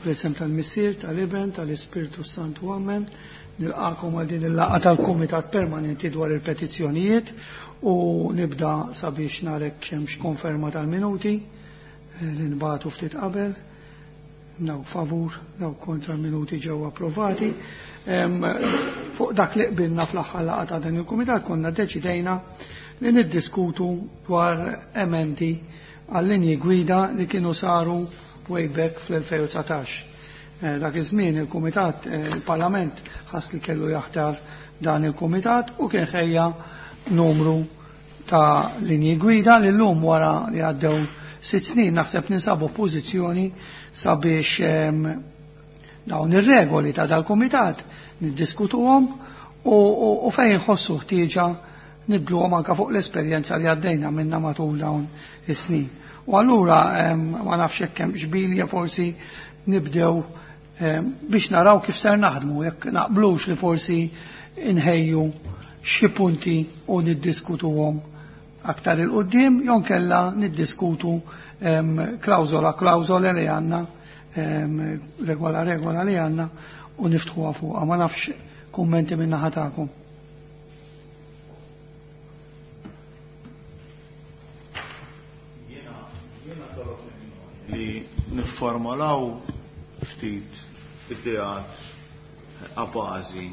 Fl-isem tal-Missier, tal-Iben, tal-Ispirtu Santu, Amen. Nilqakom għal din il-laqgħa tal-Kumitat Permanenti dwar il-Petizzjonijiet u nibda sabiex narek hemmx konferma tal-minuti li nbagħtu ftit qabel. Dawk favur, dawk kontra, minuti ġew approvati. Fuq dak li qbilna fl-aħħar laqgħa ta' dan il-kumitat, konna deċidejna li niddiskutu dwar emendi għal-linji gwida li kienu saru way back fl-2019. Dak iż-żmien il-Kumitat, il-Parlament ħass li kellu jaħtar dan il-Kumitat u kien ħejja numru ta' linji gwida li llum, wara li għaddew 6 snin, naħseb ninsabu f'pożizzjoni sabiex dawn ir-regoli ta' dal-Kumitat niddiskutuhom u fejn ħossu ħtieġa nibdluhom anka fuq l-esperjenza li għaddejna minna matul dawn is-snin. U allura ma nafx hekk hemm xbilja, forsi nibdew biex naraw kif ser naħdmu, jekk naqblux li forsi inħejju xi punti u niddiskutuhom aktar 'il quddiem, jew inkella niddiskutu klawżola klawżola li għandna, regola regola li għandna u niftħuha fuqha. Ma nafx, kummenti minn naħa tagħkom. Jiena tal-opinjoni li nifformolaw ftit ideat a bażi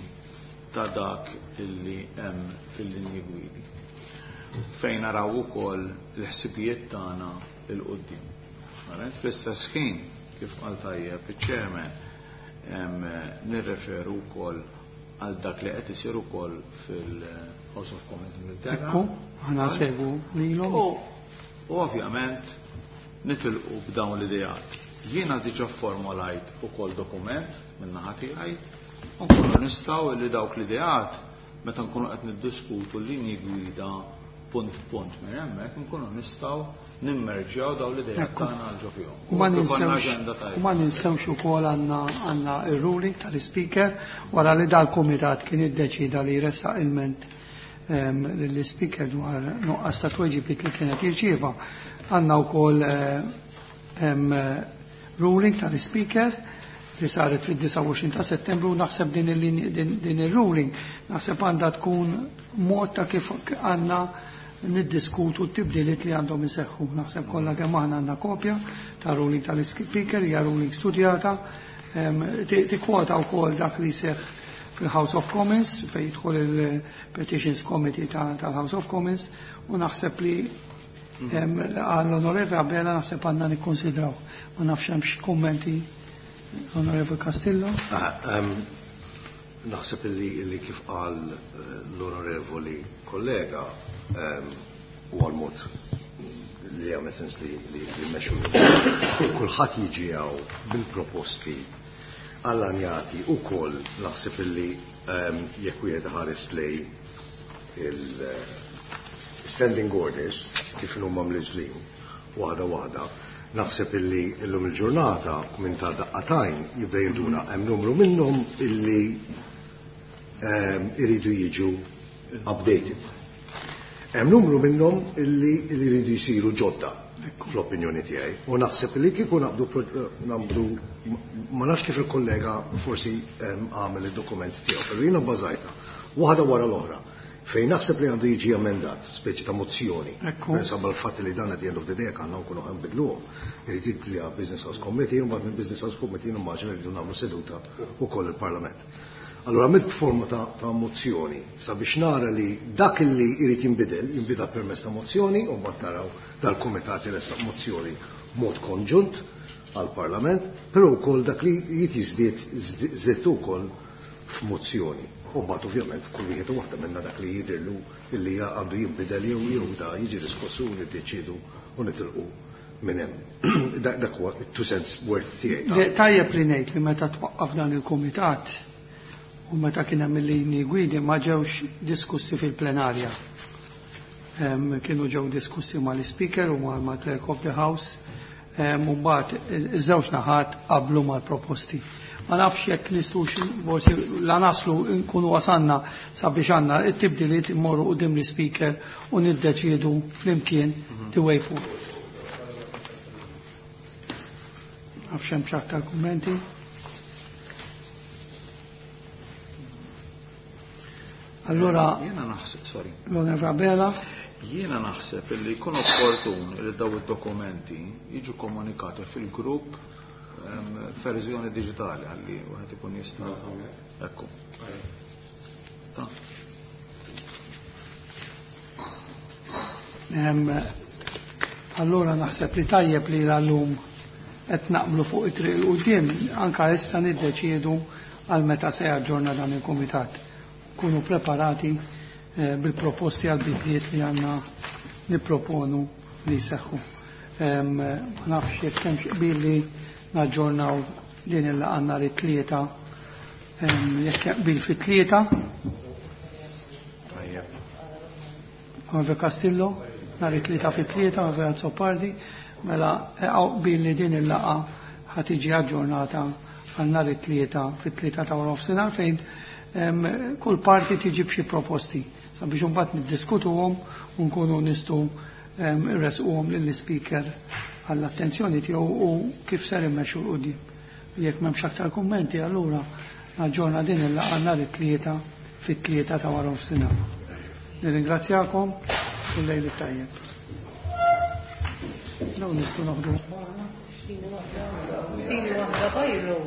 ta' dak illi hemm fil-linji gwidi, fejn naraw ukoll l-ħsibijiet tagħna 'l quddiem. Fl-istess ħin, kif qal tajjeb iċ-chairman, nirreferu wkoll għal dak li qed isir ukoll fil-House of Commons Ingilterra. Ekku, aħna segu lilhom. U ovvjament nitilqu b'dawn l-ideat. Jiena diġà formolajt ukoll dokument minn naħa tiegħi u nkunu nistgħu li dawk l-ideat, meta nkunu qed niddiskutu l-linji gwida punt punt minn hemmhekk, nkunu nistgħu nimmerġjaw dawn l-ideat tagħna għal ġo fihom. U ma U ikollna ninsewx aġenda tajba. U ma ninsewx ukoll għandna ir-ruling tal-Speaker wara li dal-kumitat kien iddeċida li jressaq ilment lill-Speaker dwar nuqqas ta' tweġibiet li kienet jirċieva. Għandna wkoll ruling tal-Speaker li saret fid-29 ta' Settembru. Naħseb din ir-ruling naħseb għandha tkun mod ta' kif għandna niddiskutu t-tibdiliet li għandhom iseħħu. Naħseb kollha kemm aħna għandna kopja ta' ruling tal-Speaker, hija ruling studjata, tikkwota wkoll dak li seħħ fil-House of Commons, fejn jidħol il-Petitions Committee tal-House of Commons, u naħseb li għall-Onorevoli Abela naħseb għandna nikkonsidraw. Ma nafx hemmx kummenti, Onorevoli Castillo. Naħseb li kif qal l-onorevoli kollega u għal-mod li għamel sens li mmexxu. Kulħadd jiġi hawn bil-proposti allanjati u koll naħseb li jekk wieħed ħares lej il-standing orders kif huma mniżżlin waħda waħda, naħseb illi illum il-ġurnata minn ta' daqqa t'għajn jibda jinduna hemm numru minnhom illi iridu jiġu updated. Hemm numru minnhom illi jridu jsiru ġodda fl-opinjoni tiegħi. U naħseb li kieku naqbdu, ma nafx kif il-kollega forsi għamel id-dokument tiegħu, però jiena bbażajta waħda wara l-oħra fejn naħseb li għandu jiġi emendat, speċi ta' mozzjoni. Insomma, l-fatt li dan at the end of the day għandna nkunu nbidluhom. Irid jidli Business House Committee, u mbagħad minn Business House Committee nimmaġina rridu nagħmlu seduta wkoll il-Parlament. Allora għamilt forma ta' mozzjoni sabiex nara li dak li jrid jinbidel, jinbidel permezz ta' mozzjoni, u mbagħad naraw dal-kumitat jressaq mozzjoni mod konġunt għal-Parlament, però wkoll dak li jrid jiżdied żdiedtu wkoll f'mozzjoni. U mbagħad ovvjament kull wieħed u waħda minna dak li jidhirlu illi għandu jinbidel jew da jiġi diskussu u niddeċiedu u nitilqu minn hemm. Dak huwa two cents worth tiegħi. Tajjeb li ngħid li meta twaqqaf dan il-kumitat u meta kien hemm il-linji gwidi ma ġewx diskussi fil-plenarja. Kienu ġew diskussi mal-Speaker u mal-Clerk of the House, u mbagħad iż-żewġ naħat qablu mal-proposti. Ma nafx jekk nistgħux forsi la naslu nkunu wasanna sabiex għandna it-tibdiliet immorru quddiem l-Speaker u niddeċiedu flimkien the way forward. Nafx hemm xi aktar kummenti. Allura Jiena naħseb, sorry. L-Onorevole Abela. Jiena naħseb li jkun opportun li daw id-dokumenti jiġu komunikati fil-grupp verżjoni diġitali ħalli wieħed ikun jista'. Ekku. Ta. Allura naħseb li tajjeb li l-lum qed naqblu fuq it-triq 'il quddiem, anka issa niddeċiedu għal meta se jaġġorna dan il-kumitat. Kunu preparati bil-proposti għal bidliet li għandna nipproponu li jseħħu. Ma nafx jekk hemmx qbil li naġġornaw din il-laqgħa nhar it-tlieta. Jekk hemm qbil fit-tlieta. Tajjeb. Onorevole Castillo, nhar it-tlieta fit-tlieta, Onorevole Azzopardi, mela hawn qbil li din il-laqgħa ħa tiġi aġġornata għal nhar it-tlieta fit-tlieta ta' wara nofsinhar fejn kull parti tiġi b'xi proposti sabiex imbagħad niddiskutuhom u nkunu nistgħu irresquhom lill-ispeaker għall-attenzjoni tiegħu u kif ser immexxu l quddiem. Jekk m'hemmx aktar kummenti, allura naġġorna din il-laqgħa nhar it-tlieta fit-tlieta ta' wara nofsinhar. Nirringrazzjakom u lejl it-tajjeb. Dawn nistgħu noħdu. Tini waħda bajru.